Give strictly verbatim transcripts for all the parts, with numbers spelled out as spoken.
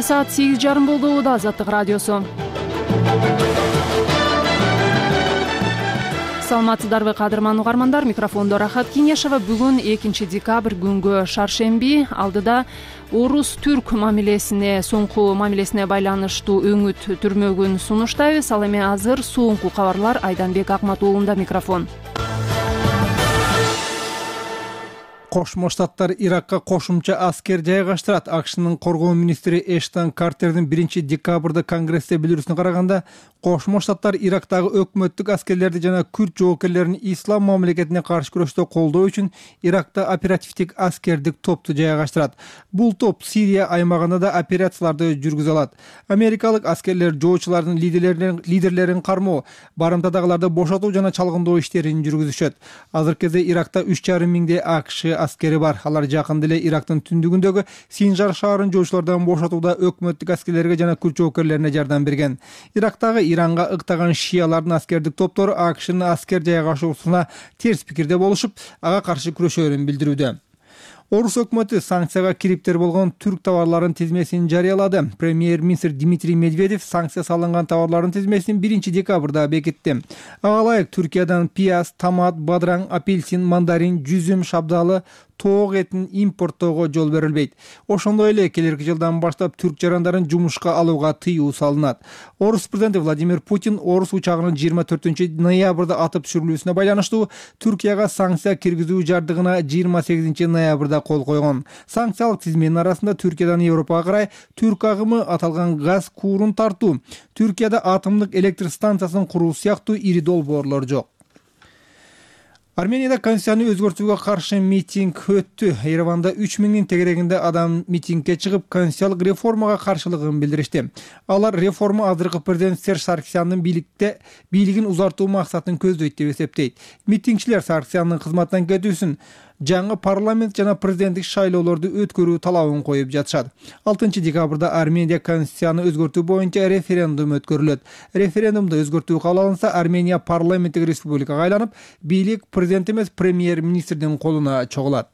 саат сегиз жарым болду. Да Азаттык радиосу. Саламатсыздарбы кадырман угармандар, микрофондо Рахат Кинешева. Бүгүн экинчи декабрь күнгө шаршемби. Алдыда орус-түрк мамилесине, соңку мамилесине байланыштуу өңүт түрмөгүн сунуштайбыз. Ал эми азыр соңку кабарлар. Айданбек Акмат уулунда микрофон. Кошмо Штаттар Иракка кошумча аскер жайгаштырат. АКШнын коргоо министри Эштон Картердин биринчи декабрда Конгрессте билдирүүсүнө караганда, Кошмо Штаттар Ирактагы өкмөттүк аскерлерди жана күрд жоокерлерин ислам мамлекетине каршы күрөштө колдоо үчүн Иракта оперативдик аскердик топту жайгаштырат. Бул топ Сирия аймагында да операцияларды жүргүзө алат. Америкалык аскерлер жоочулардын лидерлерин лидерлерин кармоо, барымтадагыларды бошотуу жана чалгындоо иштерин жүргүзүшөт. Азыркы кезде Иракта үч жарым миңдей АКШ аскери бар. Алар жакында эле Ирактын түндүгүндөгү Синжар шаарын жоочулардан бошотууда өкмөттүк аскерлерге жана күрд жоокерлерине жардам берген. Ирактагы Иранга ыктаган шиялардын аскердик топтору АКШнын аскер жайгашуусуна терс пикирде болушуп, ага каршы күрөшөөрүн билдирүүдө. Орус өкмөтү санкцияга кириптер болгон түрк товарларын тизмесин жарыялады. Премьер-министр Дмитрий Медведев санкция салынган товарлардын тизмесин биринчи декабрда бекитти. Ага ылайык Түркиядан пияз, томат, бадыраң, апельсин, мандарин, жүзүм, шабдалы, тоок этин импорттоого жол берилбейт. Ошондой эле келерки жылдан баштап түрк жарандарын жумушка алууга тыюу салынат. Орус президенти Владимир Путин орус учагынын жыйырма төртүнчү ноябрда атып түшүрүлүүсүнө байланыштуу Түркияга санкция киргизүү жардыгына жыйырма сегизинчи ноябрда кол койгон. Санкциялык тизменин арасында Түркиядан Европага карай түрк агымы, аталган газ куурун тартуу, Түркияда атомдук электр станциясын куруу сыяктуу ири долбоорлор жок. Арменияда конституцияны өзгөртүүгө каршы митинг өттү. Ереванда үч миңдин тегерегинде адам митингге чыгып, конституциялык реформага каршылыгын билдиришти. Алар реформа азыркы президент Серж Саркисяндын бийликте бийлигин узартуу максатын көздөйт деп эсептейт. Митингчилер Саркисяндын кызматтан кетүүсүн, жаңы парламент жана президенттик шайлоолорду өткөрүү талабын коюп жатышат. алтынчы декабрда Армения конституцияны өзгөртүү боюнча референдум өткөрүлөт. Референдумда өзгөртүү кабыл алынса, Армения парламенттик республикага айланып, бийлик президент эмес премьер-министрдин колуна чогулат.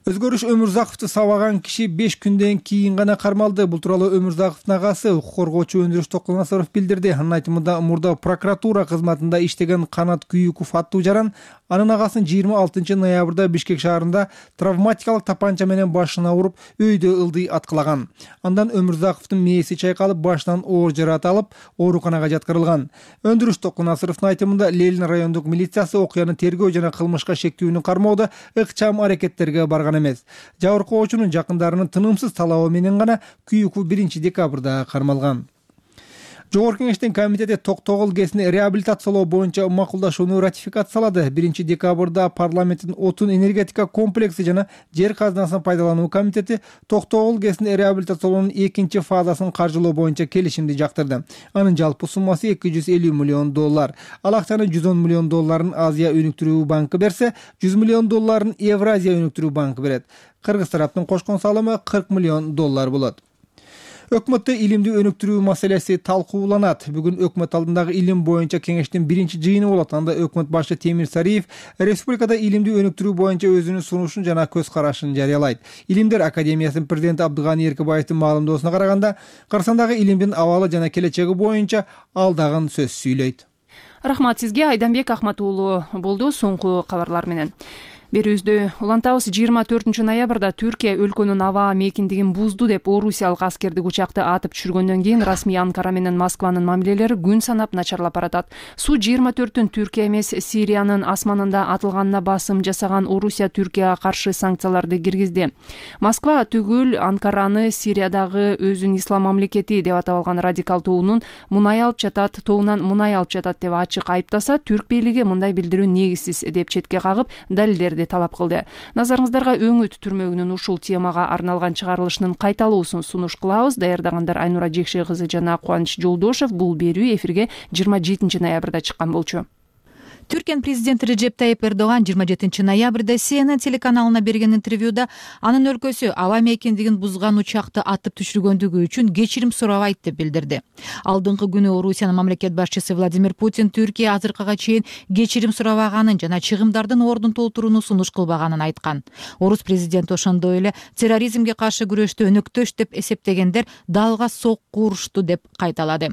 Өзгөрүш Өмүрзаковду сабаган киши беш күндөн кийин гана кармалды. Бул тууралуу Өмүрзаковдун агасы, укук коргоочу Өндүрүш Токунасаров билдирди. Анын айтымында, мурда прокуратура кызматында иштеген Канат Күйүков аттуу жаран анын агасын жыйырма алтынчы ноябрда Бишкек шаарында травматикалык тапанча менен башына уруп, өйдө ылдый аткылаган. Андан Өмүрзаковдун мээси чайкалып, башынан оор жараат алып, ооруканага жаткырылган. Өндүрүш Токунасаровдун айтымында, Ленин райондук милициясы окуяны тергөө жана кылмышка шектүүнү кармоодо ыкчам аракеттерге барган эмес. Жабыркоочунун жакындарынын тынымсыз талабы менен гана Күйүков биринчи декабрда кармалган. Жогорку кеңештин комитети Токтогул ГЭСин реабилитациялоо боюнча макулдашууну ратификациялады. биринчи декабрда парламенттин отун энергетика комплекси жана жер казынасын пайдалануу комитети Токтогул ГЭСин реабилитациялоонун экинчи фазасын каржылоо боюнча келишимди жактырды. Анын жалпы суммасы эки жүз элүү миллион доллар. Ал акчанын жүз он миллион долларын Азия өнүктүрүү банкы берсе, жүз миллион долларын Евразия өнүктүрүү банкы берет. Кыргыз тараптын кошкон салымы кырк миллион доллар болот. Өкмөттө илимди өнүктүрүү маселеси талкууланат. Бүгүн өкмөт алдындагы илим боюнча кеңештин биринчи жыйыны болот. Анда өкмөт башы Темир Сариев республикада илимди өнүктүрүү боюнча өзүнүн сунушун жана көз карашын жарыялайт. Илимдер академиясынын президенти Абдыганы Эркебаевдин маалымдоосуна караганда, Кыргызстандагы илимдин абалы жана келечеги боюнча ал дагы сөз сүйлөйт. Рахмат сизге. Айданбек Акмат уулу болду соңку кабарлар менен. Берүүбүздү улантабыз. жыйырма төртүнчү ноябрда Түркия өлкөнүн аба мейкиндигин бузду деп орусиялык аскердик учакты атып түшүргөндөн кийин расмий Анкара менен Москванын мамилелери күн санап начарлап баратат. Су жыйырма төртүн Түркия эмес Сириянын асманында атылганына басым жасаган Орусия Түркияга каршы санкцияларды киргизди. Москва түгүл Анкараны Сириядагы өзүн ислам мамлекети деп атап алган радикал тобунун мунай алып жатат, тобунан мунай алып жатат деп ачык айыптаса, түрк бийлиги мындай билдирүү негизсиз деп четке кагып, далилдер талап кылды. Назарыңыздарга өңүт түрмөгүнүн ушул темага арналган чыгарылышынын кайталуусун сунуш кылабыз. Даярдагандар Айнура Жекше кызы жана Кубаныч Жолдошев. Бул берүү эфирге жыйырма жетинчи ноябрда чыккан болчу. Түркиянын президенти Режеп Тайип Эрдоган жыйырма жетинчи ноябрда Си Эн Эн телеканалына берген интервьюда анын өлкөсү аба мейкиндигин бузган учакты атып түшүргөндүгү үчүн кечирим сурабайт деп билдирди. Алдыңкы күнү Орусиянын мамлекет башчысы Владимир Путин Түркия азыркыга чейин кечирим сурабаганын жана чыгымдардын ордун толтурууну сунуш кылбаганын айткан. Орус президенти ошондой эле терроризмге каршы күрөштө өнөктөш деп эсептегендер далга сокку урушту деп кайталады.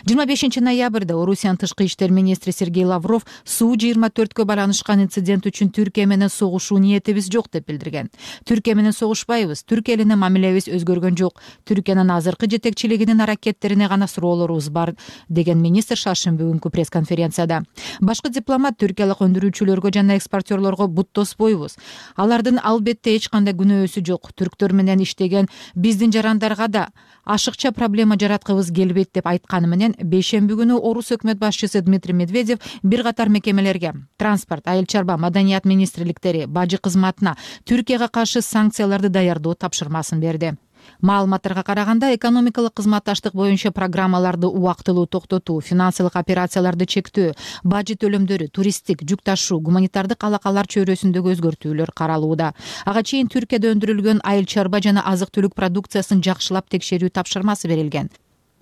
жыйырма бешинчи ноябрда Орусиянын тышкы иштер министри Сергей Лавров Суу жыйырма төрткө байланышкан инцидент үчүн Түркия менен согушуу ниетибиз жок деп билдирген. Түркия менен согушпайбыз, Түркия менен мамилебиз өзгөргөн жок. Түркиянын азыркы жетекчилигинин аракеттерине гана суроолорубуз бар деген министр шаршемби күнкү пресс-конференцияда. Башкы дипломат түркиялык өндүрүүчүлөргө жана экспортерлорго бут тоспойбуз. Алардын албетте эч кандай күнөөсү жок. Түрктөр менен иштеген биздин жарандарга да ашыкча проблема жараткыбыз келбейт деп айткан менен бейшемби күнү Орус өкмөт башчысы Дмитрий Медведев бир катар мекемелерге транспорт, айыл чарба, маданият министрликтери, бажы кызматына Түркияга каршы санкцияларды даярдоо тапшырмасын берди. Маалыматтарга караганда, экономикалык кызматташтык боюнча программаларды убактылуу токтотуу, финансылык операцияларды чектөө, бажы төлөмдөрү, туристтик, жүк ташуу, гуманитардык алакалар чөйрөсүндөгү өзгөртүүлөр каралууда. Ага чейин Түркияда өндүрүлгөн айыл чарба жана азык-түлүк продукциясын жакшылап текшерүү тапшырмасы берилген.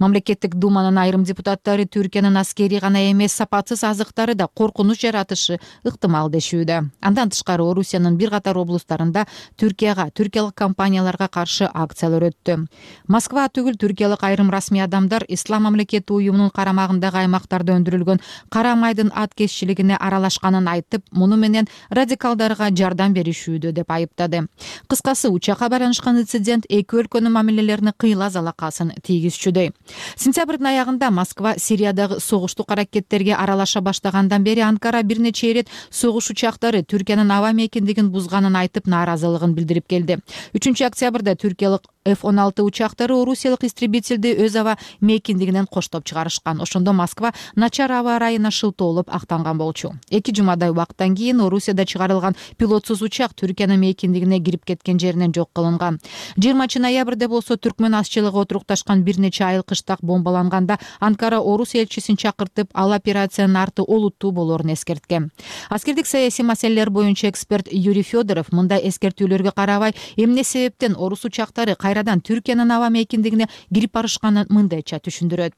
Мамлекеттик думанын айрым депутаттары Түркиянын аскери гана эмес сапатсыз азыктары да коркунуч жаратышы ыктымал дешүүдө. Андан тышкары Орусиянын бир катар облустарында Түркияга, түркиялык компанияларга каршы акциялар өттү. Москва түгүл, түркиялык айрым расмий адамдар Ислам мамлекети уюмунун карамагындагы аймактарда өндүрүлгөн кара майдын аткезчилигине аралашканын айтып, муну менен радикалдарга жардам беришүүдө деп айыптады. Кыскасы, учакка байланышкан инцидент эки өлкөнүн мамилелерине кыйла залакасын тийгизчүдөй. Сентябрдын аягында Москва Сириядагы согуштук аракеттерге аралаша баштагандан бери Анкара бир нече ирет согуш учактары Түркиянын аба мейкиндигин бузганын айтып нааразылыгын билдирип келди. үчүнчү октябрда түркиялык эф он алты учактары орусиялык истребительди өз аба мейкиндигинен коштоп чыгарышкан. Ошондо Москва начар аба ырайына шылтоолоп актанган болчу. Эки жумадай убакыттан кийин Орусияда чыгарылган пилотсуз учак Түркиянын мейкиндигине кирип кеткен жеринен жок кылынган. жыйырманчы ноябрда болсо түркмөн азчылыгы отурукташкан бир нече айыл кыштак бомбаланганда Анкара Орус элчисин чакыртып, ал операциянын арты олуттуу болорун эскерткен. Аскердик саясий маселелер боюнча эксперт Юрий Федоров мындай эскертүүлөргө карабай, эмне себептен орус учактары кайрадан Түркиянын аба мейкиндигине кирип барышканын мындайча түшүндүрөт.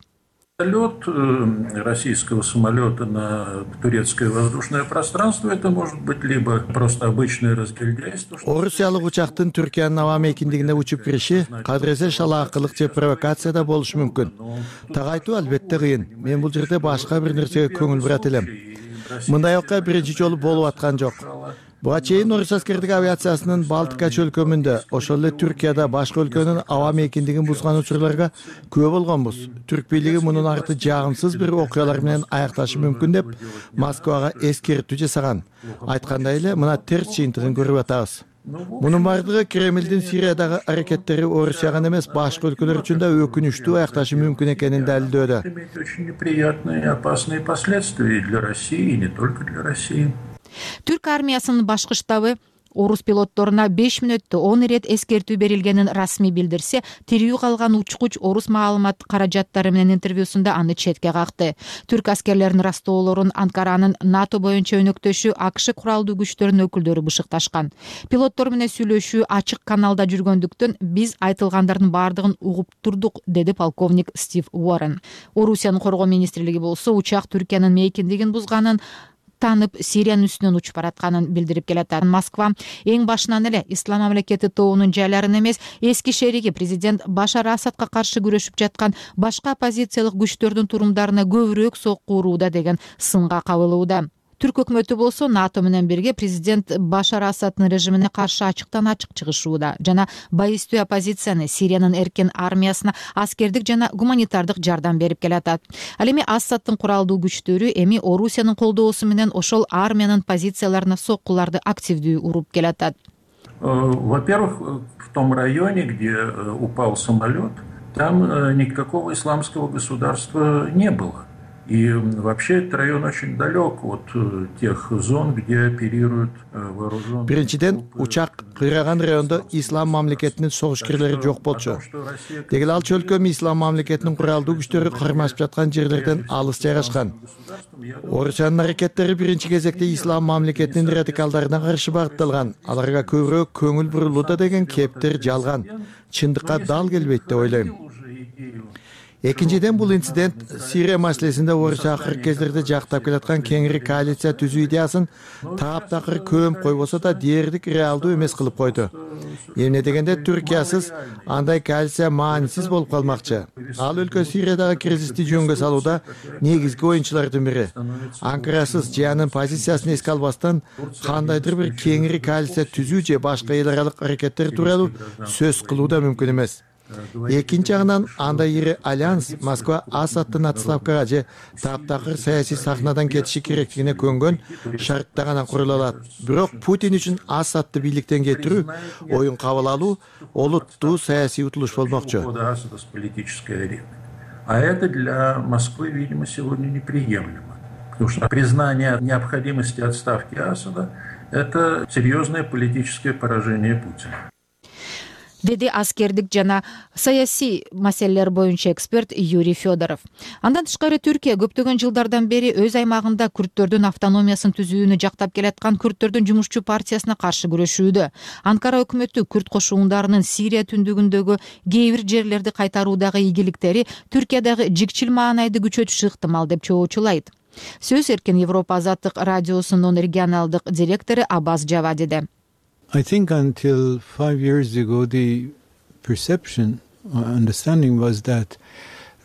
Полет российского самолета на турецкое воздушное пространство — это может быть либо просто обычное разгильдяйство. Орусиялык учактын Түркиянын аба мейкиндигине учуп кириши кадыресе шалаакылык же провокация да болушу мүмкүн. Тагайтуу албетте кыйын. Мен бул жерде башка бир нерсеге көңүл бурат элем. Мындай окуя биринчи жолу болуп аткан жок. Буга чейин Орус аскердик авиациясынын Балтика чөлкөмүндө, ошол эле Түркияда башка өлкөнүн аба мейкиндигин бузган учурларга күбө болгонбуз. Түрк бийлиги мунун арты жагымсыз бир окуялар менен аякташы мүмкүн деп Москвага эскертүү жасаган. Айткандай эле, мына терс жыйынтыгын көрүп атабыз. Мунун бардыгы Кремлдин Сириядагы аракеттери Орусияга эмес, башка өлкөлөр үчүн да өкүнүчтүү аякташы мүмкүн экенин далилдөөдө. Очень неприятные и опасные последствия для России, и не только для России. Түрк армиясынын башкы штабы орус пилотторуна беш мүнөттө он ирет эскертүү берилгенин расмий билдирсе, тирүү калган учкуч орус маалымат каражаттары менен интервьюсунда аны четке какты. Түрк аскерлеринин растоолорун Анкаранын НАТО боюнча өнөктөшү АКШ куралдуу күчтөрүнүн өкүлдөрү бышыкташкан. Пилоттор менен сүйлөшүү ачык каналда жүргөндүктөн биз айтылгандардын баардыгын угуп турдук, деди полковник Стив Уоррен. Орусиянын коргоо министрлиги болсо учак Түркиянын мейкиндигин бузганын танып, Сириянын үстүнөн учуп баратканын билдирип келатат. Москва эң башынан эле Ислам мамлекети тобунун жайларын эмес, эски шериги президент Башар Асадка каршы күрөшүп жаткан башка оппозициялык күчтөрдүн турумдарына көбүрөөк сокку урууда деген сынга кабылууда. Түрк өкмөтү болсо НАТО менен бирге президент Башар Асадтын режимине каршы ачыктан ачык чыгышууда жана байыстуу оппозицияны, Сириянын эркен армиясына аскердик жана гуманитардык жардам берип келатат. Ал эми Асадтын куралдуу күчтөрү эми Орусиянын колдоосу менен ошол армиянын позицияларына соккуларды активдүү уруп келатат. Во-первых, в том районе, где упал самолет, там никакого исламского государства не было. И вообще этот район очень далек от тех зон, где оперируют вооруженные. Биринчиден, учак кыйраган райондо ислам мамлекетинин согушкерлери жок болчу. Дегеле ал чөлкөм ислам мамлекетинин куралдуу күчтөрү кармашып жаткан жерлерден алыс жайгашкан. Орусиянын аракеттери биринчи кезекте ислам мамлекетинин радикалдарына каршы багытталган. Аларга көбүрөөк көңүл бурулууда деген кептер жалган. Чындыкка дал келбейт деп ойлойм. Экинчиден, бул инцидент Сирия маселесинде Орусия акыркы кездерде жактап келаткан кеңири коалиция түзүү идеясын таап-такыр көмүп койбосо да дээрлик реалдуу эмес кылып койду. Эмне дегенде Түркиясыз андай коалиция маанисиз болуп калмакчы. Ал өлкө Сириядагы кризисти жөнгө салууда негизги оюнчулардын бири. Анкарасыз же анын позициясын эске албастан кандайдыр бир кеңири коалиция түзүү же башка эл аралык аракеттер тууралуу сөз кылуу да мүмкүн эмес. Экинчи жагынан, андай ири альянс Москва Асадтын отставкага же таптакыр саясий сахнадан кетиши керектигине көнгөн шартта гана курула алат. Бирок Путин үчүн Асадты бийликтен кетирүү, оюн кабыл алуу олуттуу саясий утулуш болмокчу. А это для Москвы, видимо, сегодня неприемлемо. Потому что признание необходимости отставки Асада – это серьезное политическое поражение Путина. Деди аскердик жана саясий маселелер боюнча эксперт Юрий Федоров. Андан тышкары Түркия көптөгөн жылдардан бери өз аймагында күрттөрдүн автономиясын түзүүнү жактап келаткан күрттөрдүн жумушчу партиясына каршы күрөшүүдө. Анкара өкмөтү күрт кошундарынын Сирия түндүгүндөгү кээ бир жерлерди кайтаруудагы ийгиликтери Түркиядагы жикчил маанайды күчөтүшү ыктымал деп чоочулайт. Сөз эркин Европа азаттык радиосунун регионалдык директору Аббас Джавадиде. I think until five years ago, the perception or understanding was that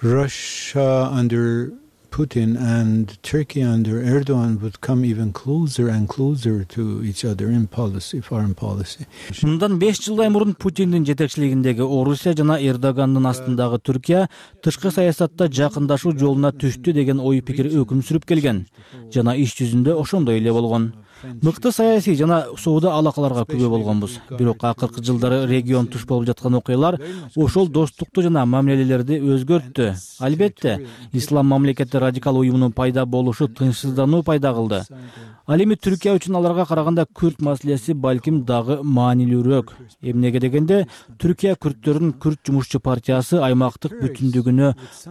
Russia under Putin and Turkey under Erdogan would come even closer and closer to each other in policy, foreign policy. Мындан беш жылдай мурун Путиндин жетекчилигиндеги Орусия жана Эрдогандын астындагы Түркия тышкы саясатта жакындашуу жолуна түштү деген ой пикир өкүм сүрүп келген. Жана иш жүзүндө ошондой эле болгон. Мыкты саясий жана соода алакаларга күбө болгонбуз. Бирок акыркы жылдары регион туш болуп жаткан окуялар ошол достукту жана мамилелерди өзгөрттү. Албетте, ислам мамлекети радикал уюмунун пайда болушу тынчсыздануу пайда кылды. Ал эми Түркия үчүн аларга караганда күрт маселеси балким дагы маанилүүрөөк. Эмнеге дегенде, Түркия күрттөрүнүн күрт жумушчу партиясы аймактык бүтүндүгүнө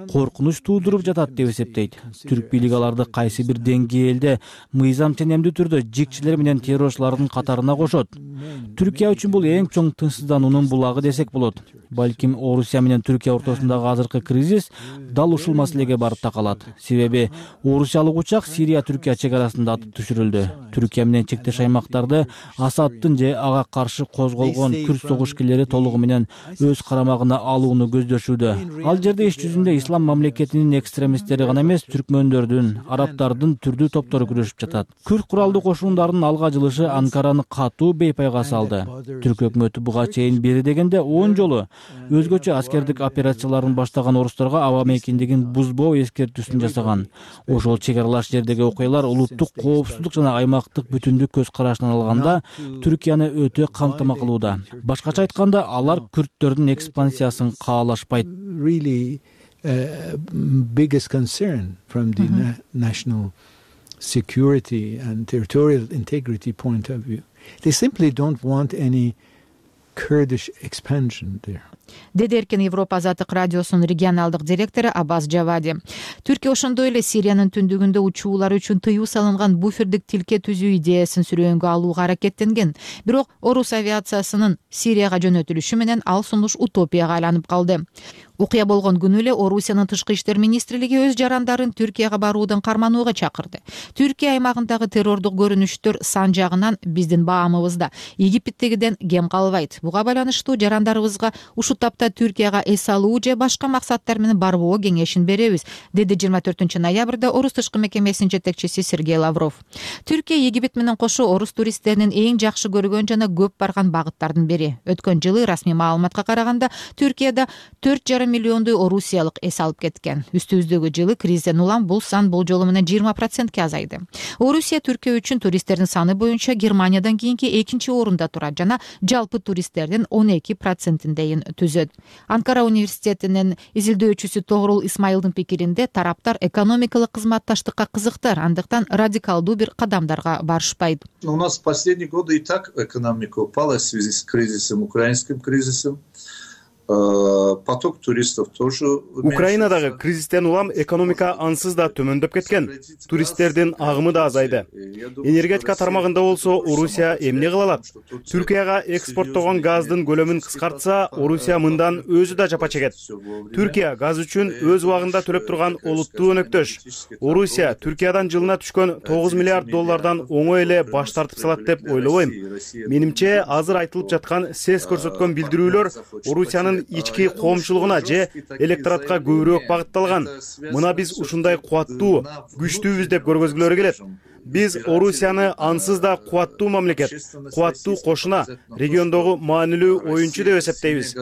коркунуч туудуруп жатат деп эсептейт. Түрк бийлиги аларды кайсы бир деңгээлде мыйзам тенемдүү түрдө жикчилер менен террорчулардын катарына кошот. Түркия үчүн бул эң чоң тынчсыздануунун булагы десек болот. Балким Орусия менен Түркия ортосундагы азыркы кризис дал ушул маселеге барып такалат. Себеби орусиялык учак Сирия Түркия чек арасында атып түшүрүлдү. Түркия менен чектеш аймактарды Асадтын же ага каршы козголгон күрт согушкерлери толугу менен өз карамагына алууну көздөшүүдө. Ал жерде иш жүзүндө ислам мамлекетинин экстремисттери гана эмес, түркмөндөрдүн, арабтардын түрдүү топтору күрөшүп жатат. Күрт куралдуу кошундардын алга жылышы Анкараны катуу бейпайга салды. Түрк өкмөтү буга чейин бери дегенде он жолу өзгөчө аскердик операцияларын баштаган орустарга аба мейкиндигин бузбоо эскертүүсүн жасаган. Ошол чек аралаш жердеги окуялар улуттук коопсуздук жана аймактык бүтүндүк көз карашынан алганда Түркияны өтө камтама кылууда. Башкача айтканда, алар күрттөрдүн экспансиясын каалашпайт. Really uh, biggest concern from the mm-hmm. na- national security and territorial integrity point of view. They simply don't want any Kurdish expansion there. Деди эркин Европа азаттык радиосунун регионалдык директору Аббас Джавади. Түркия ошондой эле Сириянын түндүгүндө учуулар үчүн тыюу салынган буфердик тилке түзүү идеясын сүрөөнгө алууга аракеттенген. Бирок орус авиациясынын Сирияга жөнөтүлүшү менен ал сунуш утопияга айланып калды. Окуя болгон күнү эле Орусиянын тышкы иштер министрлиги өз жарандарын Түркияга баруудан карманууга чакырды. Түркия аймагындагы террордук көрүнүштөр сан жагынан биздин баамыбызда Египеттегиден кем калбайт. Буга байланыштуу жарандарыбызга ушул тапта Түркияга эс алуу же башка максаттар менен барбоо кеңешин беребиз, деди жыйырма төртүнчү ноябрда Орус тышкы мекемесинин жетекчиси Сергей Лавров. Түркия Египет менен кошо орус туристтеринин эң жакшы көргөн жана көп барган багыттардын бири. Өткөн жылы расмий маалыматка караганда Түркияда төрт жарым миллиондой орусиялык эс алып кеткен. Үстүбүздөгү жылы кризистен улам бул сан бул жолу менен жыйырма процентке азайды. Орусия Түркия үчүн туристтердин саны боюнча Германиядан кийинки экинчи орунда турат жана жалпы туристтердин он эки процентиндейин түзөт. Анкара университетинин изилдөөчүсү Тогрул Исмайылдын пикиринде тараптар экономикалык кызматташтыкка кызыктар, андыктан радикалдуу бир кадамдарга барышпайт. У нас в последние годы и так экономика упала в связи с кризисом, украинским кризисом. Поток туристов тоже. Украинадагы кризистен улам экономика ансыз да төмөндөп кеткен. Туристтердин агымы да азайды. Энергетика тармагында болсо Орусия эмне кыла алат? Түркияга экспорттогон газдын көлөмүн кыскартса, Орусия мындан өзү да жапа чегет. Түркия газ үчүн өз убагында төлөп турган олуттуу өнөктөш. Орусия Түркиядан жылына түшкөн тогуз миллиард доллардан оңой эле баш тартып салат деп ойлобойм. Менимче азыр айтылып жаткан сес көрсөткөн билдирүүлөр Орусиянын ички коомчулугуна же электоратка көбүрөөк багытталган. Мына биз ушундай кубаттуу, күчтүүбүз деп көргөзгүлөрү келет. Биз Орусияны ансыз да кубаттуу мамлекет, кубаттуу кошуна, региондогу маанилүү оюнчу деп эсептейбиз.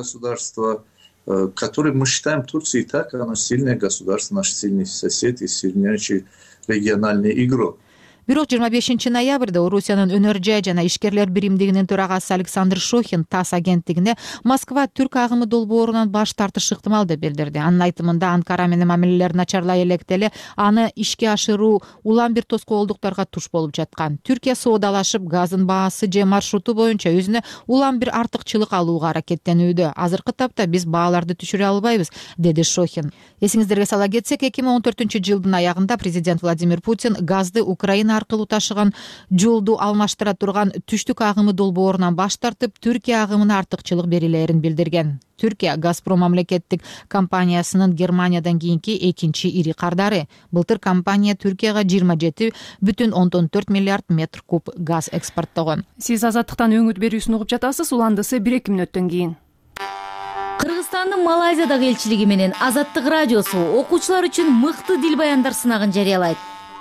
Который мы считаем Турцией так, оно сильное государство, наш сильный сосед и сильнейший региональный игрок. Бирок жыйырма бешинчи ноябрда Орусиянын өнөр жай жана ишкерлер биримдигинин төрагасы Александр Шохин ТАСС агенттигине Москва түрк агымы долбоорунан баш тартышы ыктымал деп билдирди. Анын айтымында Анкара менен мамилелер начарлай электеле аны ишке ашыруу улам бир тоскоолдуктарга туш болуп жаткан. Түркия соодалашып газдын баасы же маршруту боюнча өзүнө улам бир артыкчылык алууга аракеттенүүдө. Азыркы тапта биз бааларды түшүрө албайбыз, деди Шохин. Эсиңиздерге сала кетсек, эки миң он төртүнчү жылдын аягында президент Владимир Путин газды Украина аркылуу ташыган жолду алмаштыра турган түштүк агымы долбоорунан баш тартып, Түркия агымына артыкчылык берилерин билдирген. Түркия Газпром мамлекеттик компаниясынын Германиядан кийинки экинчи ири кардары. Былтыр компания Түркияга жыйырма жети бүтүн ондон төрт миллиард метр куб газ экспорттогон. Сиз Азаттыктан өңүт берүүсүн угуп жатасыз. Уландысы бир эки мүнөттөн кийин. Кыргызстандын Малайзиядагы элчилиги менен Азаттык радиосу окуучулар үчүн мыкты дил баяндар сынагын жарыялайт.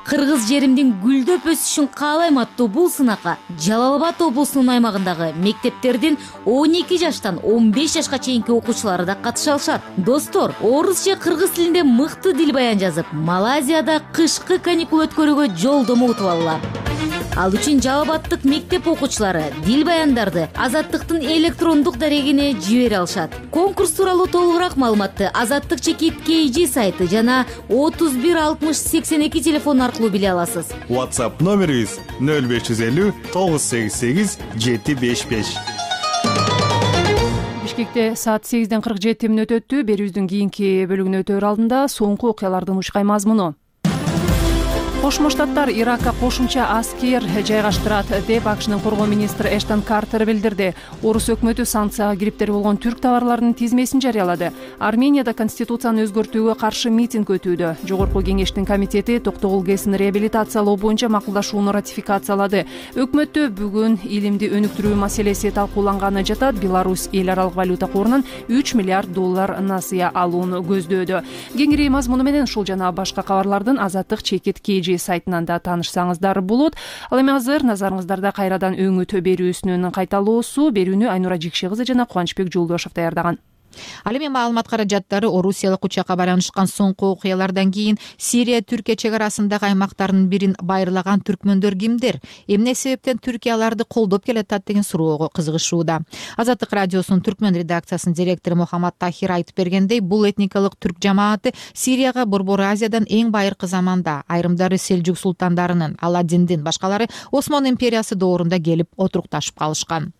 Кыргыз жеримдин гүлдөп өсүшүн каалайм аттуу бул сынакка Жалал Абад облусунун аймагындагы мектептердин он эки жаштан он беш жашка чейинки окуучулары да катыша алышат. Достор, орус же кыргыз тилинде мыкты дил баян жазып, Малайзияда кышкы каникул өткөрүүгө жолдомо утуп алгыла. Ал үчүн Жалал Абадтык мектеп окуучулары дил баяндарды Азаттыктын электрондук дарегине жибере алышат. Конкурс тууралуу толугураак маалыматты Азаттык чекит кей жи сайты жана отуз бир алтымыш сексен эки телефон аркылуу биле аласыз. WhatsApp номерибиз нөл беш жүз элүү тогуз сегиз сегиз жети беш беш. Бишкекте саат сегизден кырк жети мүнөт өттү. Берүүбүздүн кийинки бөлүгүнө өтөр алдында соңку окуялардын ушкай мазмуну. Кошмо Штаттар Иракка кошумча аскер жайгаштырат деп АКШнын коргоо министри Эштон Картер билдирди. Орус өкмөтү санкцияга кириптер болгон түрк товарларынын тизмесин жарыялады. Арменияда конституцияны өзгөртүүгө каршы митинг өтүүдө. Жогорку кеңештин комитети токтогул ГЭСин реабилитациялоо боюнча макулдашууну ратификациялады. Өкмөттө бүгүн илимди өнүктүрүү маселеси талкууланганы жатат. Беларусь эл аралык валюта корунан үч миллиард доллар насыя алууну көздөөдө. Кеңири мазмуну менен ушул жана башка кабарлардын Азаттык чекит кей жи сайтынан да таанышсаңыздар болот. Ал эми азыр назарыңыздарда кайрадан өңүт берүүсүнүн кайталоосу. Берүүнү Айнура Жикши кызы жана Кубанычбек Жолдошов даярдаган. Ал эми маалымат каражаттары Орусиялык учакка байланышкан соңку окуялардан кийин Сирия Түркия чек арасындагы аймактардын бирин байырлаган түркмөндөр кимдер? Эмне себептен Түркия аларды колдоп келатат деген суроого кызыгышууда. Азаттык радиосунун түркмөн редакциясынын директору Мухаммад Тахир айтып бергендей, бул этникалык түрк жамааты Сирияга Борбор Азиядан эң байыркы заманда айрымдары Селжук султандарынын, Аладдиндин, башкалары Осман империясы доорунда келип отурукташып калышкан.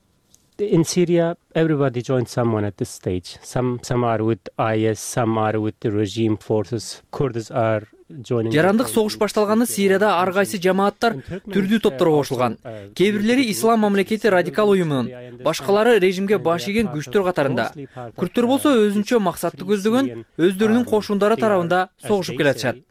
In Syria, everybody joined someone at this stage. Some some are with I S, some are with the regime forces. Kurds are joining. Жарандык согуш башталганы Сирияда ар кайсы жамааттар түрдүү топторго кошулган. Кээ бирлери Ислам мамлекети радикал уюмунун, башкалары режимге баш ийген күчтөр катарында. Күрттөр болсо өзүнчө максатты көздөгөн өздөрүнүн кошундары тарабында согушуп келатышат.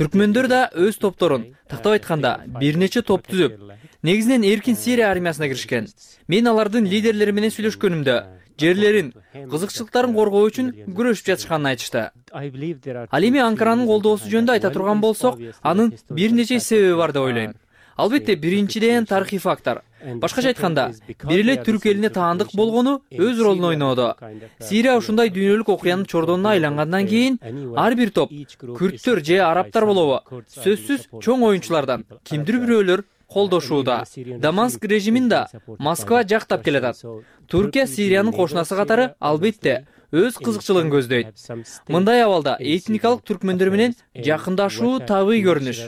Түркмөндөр да өз топторун, тактап айтканда, бир нече топ түзүп, негизинен эркин Сирия армиясына киришкен. Мен алардын лидерлери менен сүйлөшкөнүмдө жерлерин, кызыкчылыктарын коргоо үчүн күрөшүп жатышканын айтышты. Ал эми Анкаранын колдоосу жөнүндө айта турган болсок, анын бир нече себеби бар деп ойлойм. Албетте биринчиден тарыхый фактор. Башкача айтканда, бир эле түрк элине таандык болгону өз ролун ойноодо. Сирия ушундай дүйнөлүк окуянын чордонуна айлангандан кийин ар бир топ күрттөр же арабтар болобу сөзсүз чоң оюнчулардан кимдир бирөөлөр колдошууда. Дамаск режимин да Москва жактап келатат. Туркия Сириянын кошунасы катары албетте өз кызыкчылыгын көздөйт. Мындай абалда этникалык түркмөндөр менен жакындашуу табый көрүнүш.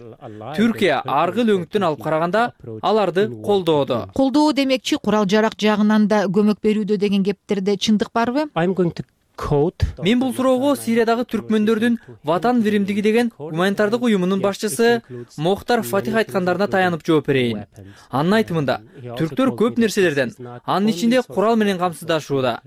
Түркия аргы өңүттөн алып караганда аларды колдоодо. Колдоо демекчи курал жарак жагынан да көмөк берүүдө деген кептерде чындык барбы? Мен бул суроого Сириядагы түркмөндөрдүн Ватан биримдиги деген гуманитардык уюмунун башчысы Мохтар Фатих айткандарына таянып жооп берейин. Анын айтымында, түрктөр көп нерселерден, анын ичинде курал менен камсыздашууда.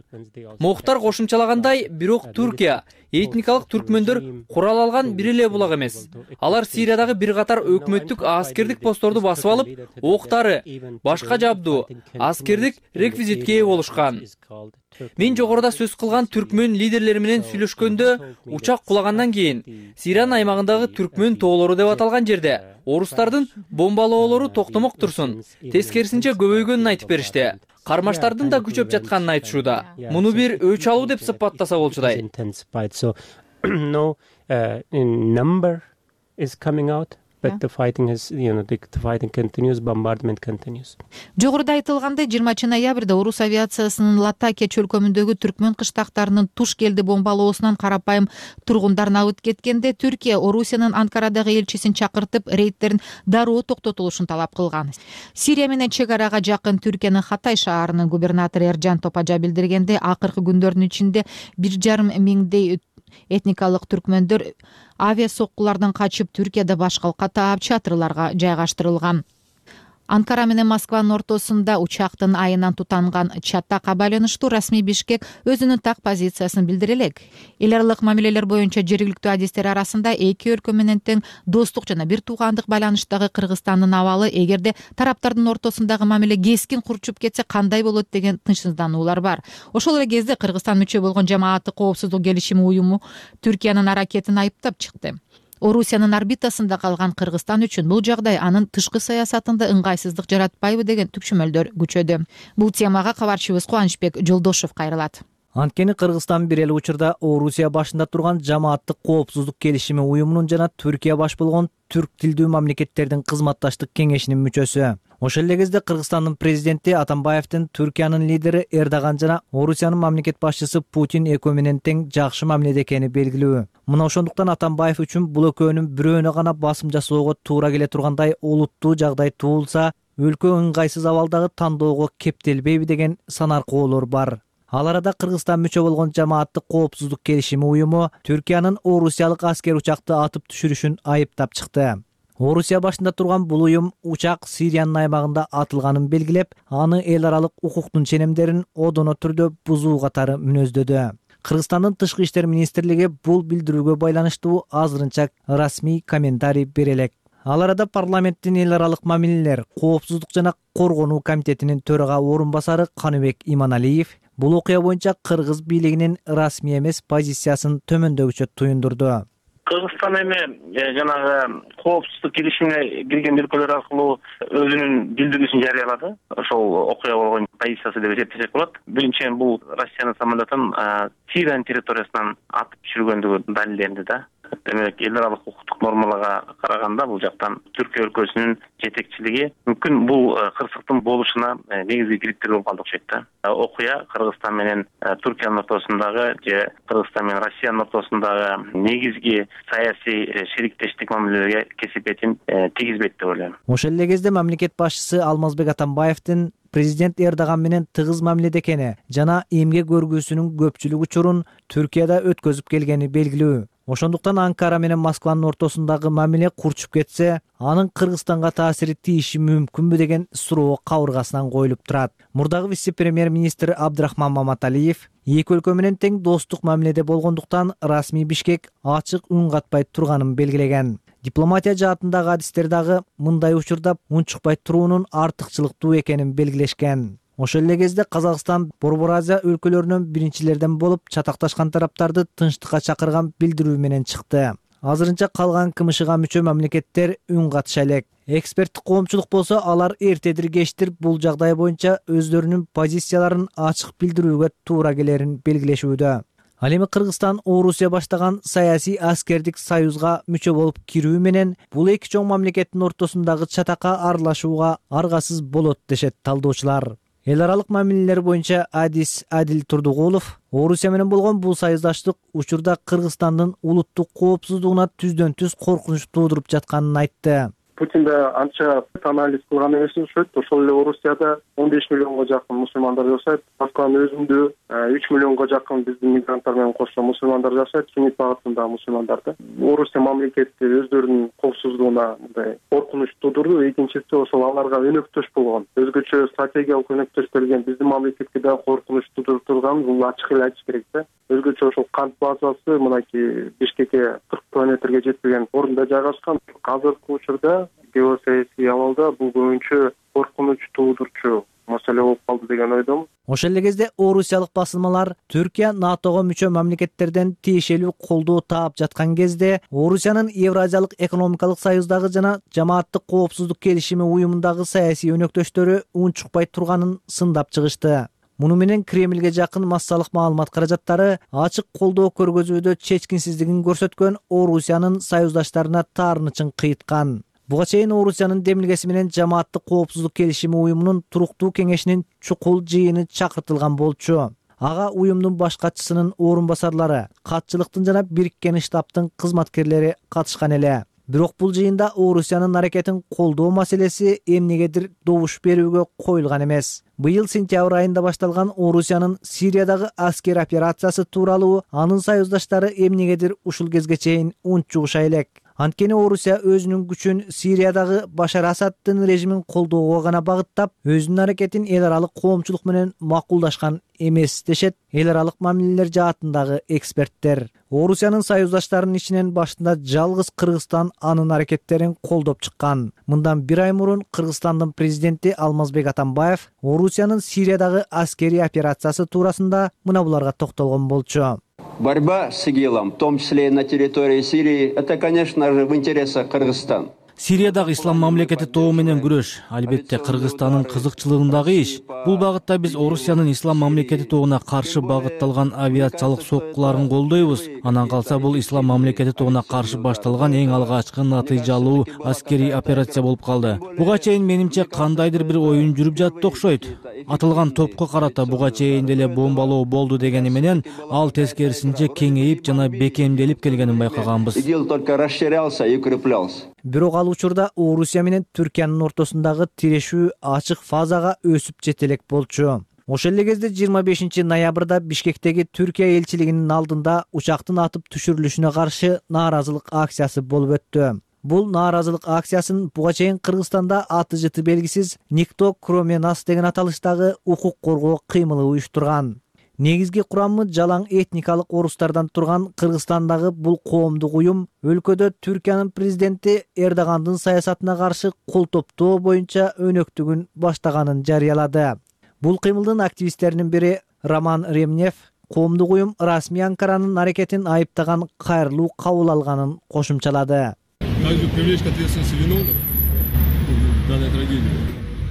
Мохтар кошумчалагандай, бирок Туркия этникалык түркмөндөр курал алган бир эле булак эмес. Алар Сириядагы бир катар өкмөттүк аскердик постторду басып алып, октары, башка жабдуу, аскердик реквизитке ээ болушкан. Мен жогоруда сөз кылган түркмөн лидерлери менен сүйлөшкөндө учак кулагандан кийин Сириянын аймагындагы түркмөн тоолору деп аталган жерде орустардын бомбалоолору токтомок турсун, тескерисинче көбөйгөнүн айтып беришти. Кармаштардын да күчөп жатканын айтышууда. Муну бир өч алуу деп сыпаттаса болчудай. But the fighting is, you know, the, the fighting continues, bombardment continues. Жогоруда айтылгандай, жыйырманчы ноябрда орус авиациясынын Латакия чөлкөмүндөгү түркмөн кыштактарынын туш келди бомбалоосунан карапайым тургундар набыт кеткенде Түркия Орусиянын Анкарадагы элчисин чакыртып рейдтерин дароо токтотулушун талап кылган. Сирия менен чек арага жакын Түркиянын Хатай шаарынын губернатору Эржан Топажа билдиргенде, акыркы күндөрдүн ичинде бир жарым миңдей этникалык түркмөндөр авиа соккулардан качып Түркияда башкалка таап чатырларга жайгаштырылган. Анкара менен Москванын ортосунда учактын айынан тутанган чатакка байланыштуу расмий Бишкек өзүнүн так позициясын билдире элек. Эл аралык мамилелер боюнча жергиликтүү адистер арасында эки өлкө менен тең достук жана бир туугандык байланыштагы Кыргызстандын абалы эгерде тараптардын ортосундагы мамиле кескин курчуп кетсе кандай болот деген тынчсыздануулар бар. Ошол эле кезде Кыргызстан мүчө болгон Жамааттык коопсуздук келишими уюму Түркиянын аракетин айыптап чыкты. Орусиянын орбитасында калган Кыргызстан үчүн бул жагдай анын тышкы саясатында ыңгайсыздык жаратпайбы деген түкчөмөлдөр күчөдү. Бул темага кабарчыбыз Кубанычбек Жолдошов кайрылат. Анткени Кыргызстан бир эле учурда Орусия башында турган Жамааттык коопсуздук келишими уюмунун жана Түркия баш болгон түрк тилдүү мамлекеттердин кызматташтык кеңешинин мүчөсү. Ошол эле кезде Кыргызстандын президенти Атамбаевдин Түркиянын лидери Эрдоган жана Орусиянын мамлекет башчысы Путин экөө менен тең жакшы мамиледе экени белгилүү. Мына ошондуктан Атамбаев үчүн бул экөөнүн бирөөнө гана басым жасоого туура келе тургандай олуттуу жагдай туулса, өлкө ыңгайсыз абалдагы тандоого кептелбейби деген санаркоолор бар. Ал арада Кыргызстан мүчө болгон Жамааттык коопсуздук келишими уюму Түркиянын орусиялык аскер учакты атып түшүрүшүн айыптап чыкты. Орусия башында турган бул уюм учак Сириянын аймагында атылганын белгилеп, аны эл аралык укуктун ченемдерин одоно түрдө бузуу катары мүнөздөдү. Кыргызстандын тышкы иштер министрлиги бул билдирүүгө байланыштуу азырынча расмий комментарий бере элек. Ал арада парламенттин эл аралык мамилелер, коопсуздук жана коргонуу комитетинин төрага орун басары Каныбек Иманалиев бул окуя боюнча кыргыз бийлигинин расмий эмес позициясын төмөндөгүчө туюндурду. Кыргызстан эми жанагы коопсуздук келишимине кирген өлкөлөр аркылуу өзүнүн билдирүүсүн жарыялады. Ошол окуя болгон позициясы деп эсептесек болот. Биринчиден бул Россиянын самолетун Сириянын территориясынан атып түшүргөндүгү далилденди да. Демек, эл аралык укуктук нормаларга караганда бул жактан Түркия өлкөсүнүн жетекчилиги мүмкүн бул кырсыктын болушуна негизги криптер болуп калды окшойт да. Окуя Кыргызстан менен Түркиянын ортосундагы же Кыргызстан менен Россиянын ортосундагы негизги саясий шериктештик мамилелерге кесепетин тийгизбейт деп ойлойм. Ошол эле кезде мамлекет башчысы Алмазбек Атамбаевдин президент Эрдоган менен тыгыз мамиледе экени жана эмгек көргүүсүнүн көпчүлүк учурун Түркияда өткөзүп келгени белгилүү. Ошондуктан Анкара менен Москванын ортосундагы мамиле курчуп кетсе, анын Кыргызстанга таасири тийиши мүмкүнбү деген суроо кабыргасынан коюлуп турат. Мурдагы вице-премьер-министр Абдрахман Маматалиев эки өлкө менен тең достук мамиледе болгондуктан расмий Бишкек ачык үн катпай турганын белгилеген. Дипломатия жаатындагы адистер дагы мындай учурда унчукпай туруунун артыкчылыктуу экенин белгилешкен. Ошол эле кезде Казакстан Борбор Азия өлкөлөрүнөн биринчилерден болуп чатакташкан тараптарды тынчтыкка чакырган билдирүү менен чыкты. азырынча калган КМШга мүчө мамлекеттер үн катыша элек. Эксперттик коомчулук болсо алар эртедир кечтир бул жагдай боюнча өздөрүнүн позицияларын ачык билдирүүгө туура келерин белгилешүүдө. Ал эми Кыргызстан Орусия баштаган саясий аскердик союзга мүчө болуп кирүү менен бул эки чоң мамлекеттин ортосундагы чатакка аралашууга аргасыз болот дешет талдоочулар. Эл аралык мамилелер боюнча адис Адил Турдугулов Орусия менен болгон бул союздаштык учурда Кыргызстандын улуттук коопсуздугуна түздөн түз коркунуч туудуруп жатканын айтты. Путин да анча анализ кылган эмес окшойт. Ошол эле Орусияда он беш миллионго жакын мусулмандар жашайт. Москванын өзүндө үч миллионго жакын биздин мигранттар менен кошо мусулмандар жашайт. Суннит багытындагы мусулмандар да. Орусия мамлекети өздөрүнүн коопсуздугуна мындай коркунуч туудурду. Экинчиси ошол аларга өнөктөш болгон. Өзгөчө стратегиялык өнөктөш берген биздин мамлекетке да коркунуч туудуруп турган бул ачык эле айтыш керек да. Өзгөчө ошол кант базасы мынакей Бишкекке кырк километрге жетпеген орунда жайгашкан. Азыркы учурда геосаясий абалда бул көбүнчө коркунуч туудурчу маселе болуп калды деген ойдомун. Ошол эле кезде орусиялык басылмалар Түркия НАТОго мүчө мамлекеттерден тиешелүү колдоо таап жаткан кезде Орусиянын Евразиялык экономикалык союздагы жана жамааттык коопсуздук келишими уюмундагы саясий өнөктөштөрү унчукпай турганын сындап чыгышты. Муну менен Кремлге жакын массалык маалымат каражаттары ачык колдоо көргөзүүдө чечкинсиздигин көрсөткөн Орусиянын союздаштарына таарынычын кыйткан. Буга чейин Орусиянын демилгеси менен жамааттык коопсуздук келишими уюмунун туруктуу кеңешинин чукул жыйыны чакыртылган болчу. Ага уюмдун баш катчысынын орун басарлары, катчылыктын жана бириккен штабтын кызматкерлери катышкан эле. Бирок бул жыйында Орусиянын аракетин колдоо маселеси эмнегедир добуш берүүгө коюлган эмес. Быйыл сентябрь айында башталган Орусиянын Сириядагы аскер операциясы тууралуу анын союздаштары эмнегедир ушул кезге чейин унчугуша элек. Анткени Орусия өзүнүн күчүн Сириядагы Башар Асаддын режимин колдоого гана багыттап, өзүнүн аракетин эл аралык коомчулук менен макулдашкан эмес дешет эл аралык мамилелер жаатындагы эксперттер. Орусиянын союздаштарынын ичинен башында жалгыз Кыргызстан анын аракеттерин колдоп чыккан. Мындан бир ай мурун Кыргызстандын президенти Алмазбек Атамбаев Орусиянын Сириядагы аскерий операциясы туурасында мына буларга токтолгон болчу. Борьба с ИГИЛом, в том числе и на территории Сирии, это, конечно же, в интересах Кыргызстана. Сириядагы ислам мамлекети тобу менен күрөш албетте Кыргызстандын кызыкчылыгындагы иш. Бул багытта биз Орусиянын ислам мамлекети тобуна каршы багытталган авиациялык соккуларын колдойбуз. Анан калса бул ислам мамлекети тобуна каршы башталган эң алгачкы натыйжалуу аскерий операция болуп калды. Буга чейин менимче кандайдыр бир оюн жүрүп жатты окшойт. Атылган топко карата буга чейин деле бомбалоо болду дегени менен ал тескерисинче кеңейип жана бекемделип келгенин байкаганбыз. ИГИЛ только расширялся и укреплялся. Бирок ал учурда Орусия менен Түркиянын ортосундагы тирешүү ачык фазага өсүп жетелек болчу. Ошол эле кезде жыйырма бешинчи ноябрда Бишкектеги Түркия элчилигинин алдында учактын атып түшүрүлүшүнө каршы нааразылык акциясы болуп өттү. Бул нааразылык акциясын буга чейин Кыргызстанда аты жыты белгисиз Никто кроме нас деген аталыштагы укук коргоо кыймылы уюштурган. Негизги курамы жалаң этникалык орустардан турган Кыргызстандагы бул коомдук уюм өлкөдө Түркиянын президенти Эрдогандын саясатына каршы кол топтоо боюнча өнөктүгүн баштаганын жарыялады. Бул кыймылдын активисттеринин бири Роман Ремнев коомдук уюм расмий Анкаранын аракетин айыптаган кайрылуу кабыл алганын кошумчалады.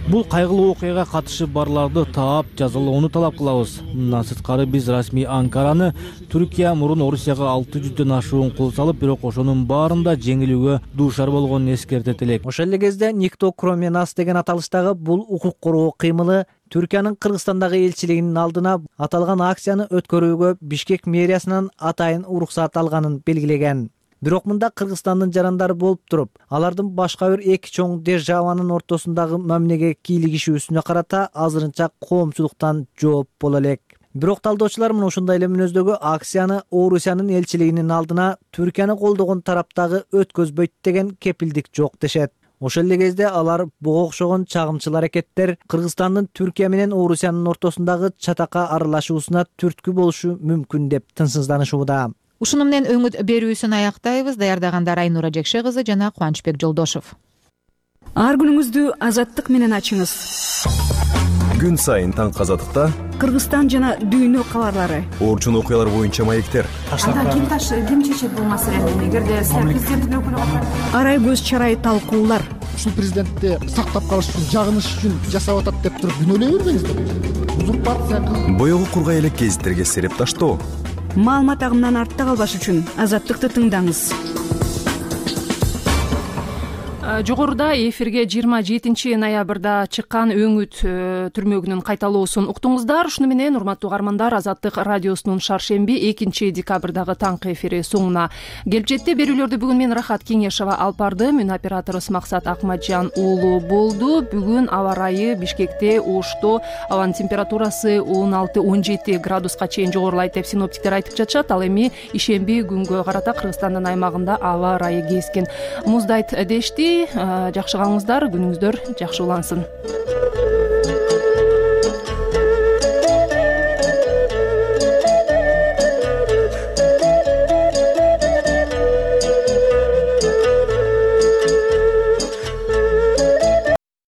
Бул кайгылуу окуяга катышы барларды таап жазалоону талап кылабыз. Мындан сырткары биз расмий Анкараны Түркия мурун Орусияга алты жүздөн ашуун кол салып, бирок ошонун баарында жеңилүүгө дуушар болгонун эскертет элек. Ошол эле кезде Никто кроме нас деген аталыштагы бул укук коргоо кыймылы Түркиянын Кыргызстандагы элчилигинин алдына аталган акцияны өткөрүүгө Бишкек мэриясынан атайын уруксат алганын белгилеген. Бирок мында Кыргызстандын жарандары болуп туруп, алардын башка бир эки чоң державанын ортосундагы мамилеге кийлигишүүсүнө карата азырынча коомчулуктан жооп боло элек. Бирок талдоочулар мына ушундай эле мүнөздөгү акцияны Орусиянын элчилигинин алдына Түркияны колдогон тараптагы өткөзбөйт деген кепилдик жок дешет. Ошол эле кезде алар буга окшогон чагымчыл аракеттер Кыргызстандын Түркия менен Орусиянын ортосундагы чатакка аралашуусуна түрткү болушу мүмкүн деп тынчсызданышууда. Ушуну менен өңүт берүүсүн аяктайбыз. Даярдагандар Айнура Жекше кызы жана Кубанычбек Жолдошов. Ар күнүңүздү азаттык менен ачыңыз. күн сайын таңкы азаттыкта Кыргызстан жана дүйнө кабарлары, орчун окуялар боюнча маектер. Анда ким таш ким чечет бул маселени? Эгерде президенттин өкүлү калса, арай көз чарай талкуулар. Ушул президентти сактап калыш үчүн, жагыныш үчүн жасап атат деп туруп күнөөлөй бербеңиздер. Узурпация кылып, боёгу кургай элек гезиттерге сереп таштоо. Маалымат агымынан артта калбаш үчүн Азаттыкты тыңдаңыз. Жогоруда эфирге жыйырма жетинчи ноябрда чыккан өңүт түрмөгүнүн кайталоосун уктуңуздар. Ушуну менен, урматтуу угармандар, Азаттык радиосунун шаршемби экинчи декабрдагы таңкы эфири соңуна келип жетти. Берүүлөрдү бүгүн мен Рахат Кеңешова алып бардым. Үн операторубуз Максат Акматжан уулу болду. Бүгүн аба ырайы Бишкекте, Ошто абанын температурасы он алты он жети градуска чейин жогорулайт деп синоптиктер айтып жатышат. Ал эми ишемби күнгө карата Кыргызстандын аймагында аба ырайы кескен муздайт дешти. Жакшы калыңыздар, күнүңүздөр жакшы улансын.